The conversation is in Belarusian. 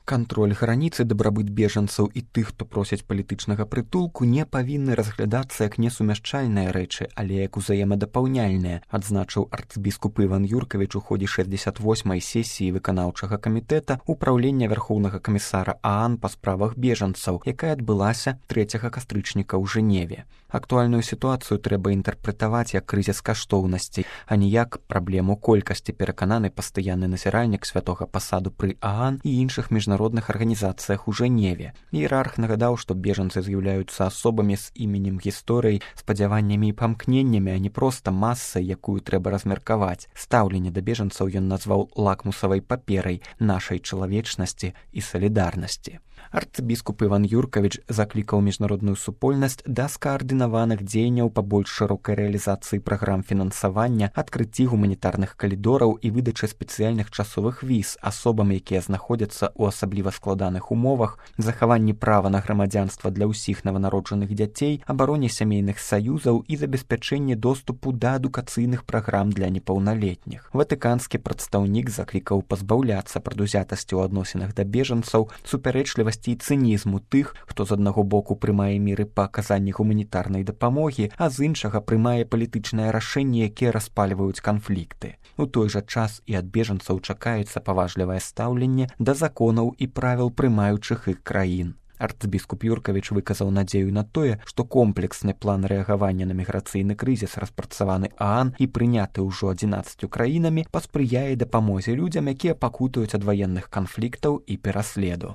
Кантроль граніцы, дабрабыт бежанцаў і тых, хто просяць палітычнага прытулку, не павінны разглядацца як несумяшчальныя рэчы, але як узаемадапаўняльныя, адзначыў арцбіскуп Іван Юркавіч у ходзе 68-й сесіі выканаўчага камітэта Управлення Вярхоўнага камісара ААН па справах бежанцаў, якая адбылася 3 кастрычніка ў Жэневе. Актуальную сітуацыю трэба інтэрпрэтаваць як крызіс каштоўнасцей, а не як праблему колькасці, перакананы пастаянны назіральнік святога пасаду пры ААН і іншых міжнародных арганізацыях у Жэневе. Іерарх нагадаў, што бежанцы з'яўляюцца асобамі з іменем гісторыі, спадзяваннямі і памкненнямі, а не проста масай, якую трэба размеркаваць. Стаўленне да бежанцаў ён назваў лакмусавай паперай нашай чалавечнасці і салідарнасці. Арцбіскуп Іван Юркавіч заклікаў міжнародную супольнасць да скаардынаваных дзеянняў па больш шырокай рэалізацыі праграм фінансавання, адкрыцці гуманітарных калідораў і выдачы спецыяльных часовых віз асобам, якія знаходзяцца ў асабліва складаных умовах, захаванні права на грамадзянства для ўсіх нованароджаных дзяцей, абароне сямейных саюзаў і забеспячэнні доступу да адукацыйных праграм для непаўналетніх. Ватыканскі прадстаўнік заклікаў пазбаўляцца прадузятасці ў адносінах да бежанцаў, супярэчлівасці і цынізму тых, хто з аднаго боку прымае меры па аказанні гуманітарнай дапамогі, а з іншага прымае палітычнае рашэнне, якія распальваюць канфлікты. У той жа час і ад бежанцаў чакаецца паважлівае стаўленне да законаў і правіл прымаючых іх краін. Арцбіскуп Юркавіч выказаў надзею на тое, што комплексны план рэагавання на міграцыйны крызіс, распрацаваны ААН і прыняты ўжо 11 краінамі, паспрыяе дапамозе людзям, якія пакутаюць ад ваенных канфліктаў і пераследу.